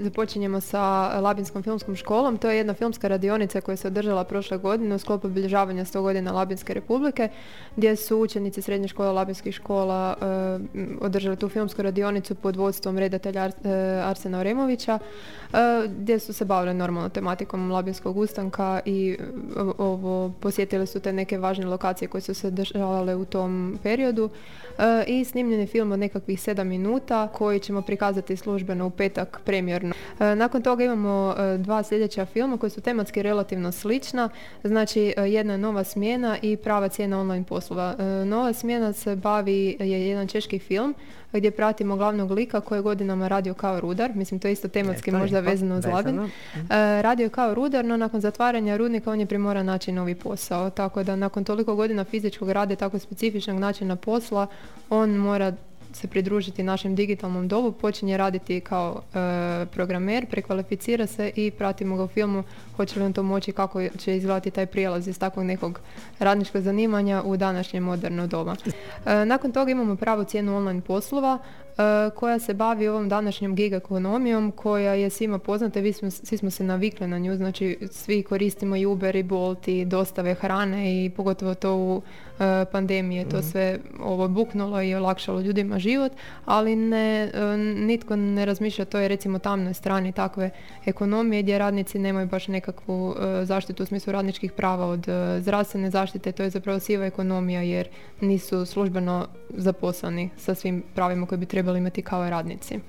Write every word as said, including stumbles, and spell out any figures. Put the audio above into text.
Započinjemo sa Labinskom filmskom školom. To je jedna filmska radionica koja se održala prošle godine u sklopu obilježavanja sto godina Labinske republike, gdje su učenici srednje škole Labinskih škola e, održali tu filmsku radionicu pod vodstvom redatelja Ar, e, Arsena Oremovića, e, gdje su se bavili normalno tematikom Labinskog ustanka i ovo, posjetili su te neke važne lokacije koje su se dešavale u tom periodu e, i snimljen je film od nekakvih sedam minuta koji ćemo prikazati službeno u petak premijerno. Nakon toga imamo dva sljedeća filma koji su tematski relativno slična. Znači, jedna je Nova smjena i Prava cijena online poslova. Nova smjena se bavi, je jedan češki film gdje pratimo glavnog lika koji je godinama radio kao rudar. Mislim, to je isto tematski ne, možda vezano uz Labin. Uh, radio je kao rudar, no nakon zatvaranja rudnika on je primoran naći novi posao. Tako da nakon toliko godina fizičkog rada i tako specifičnog načina posla, on mora se pridružiti našem digitalnom dobu, počinje raditi kao e, programer, prekvalificira se i pratimo ga u filmu hoće li on to moći, kako će izgledati taj prijelaz iz takvog nekog radničkog zanimanja u današnje moderno doba. E, nakon toga imamo Pravu cijenu online poslova e, koja se bavi ovom današnjom gig ekonomijom koja je svima poznata, vi smo, svi smo se navikli na nju, znači svi koristimo i Uber i Bolt i dostave hrane i pogotovo to u e, pandemije, to sve ovo buknulo i olakšalo ljudima život, ali ne, nitko ne razmišlja o toj recimo tamnoj strani takve ekonomije gdje radnici nemaju baš nekakvu zaštitu u smislu radničkih prava od zdravstvene zaštite, to je zapravo siva ekonomija jer nisu službeno zaposleni sa svim pravima koje bi trebali imati kao radnici.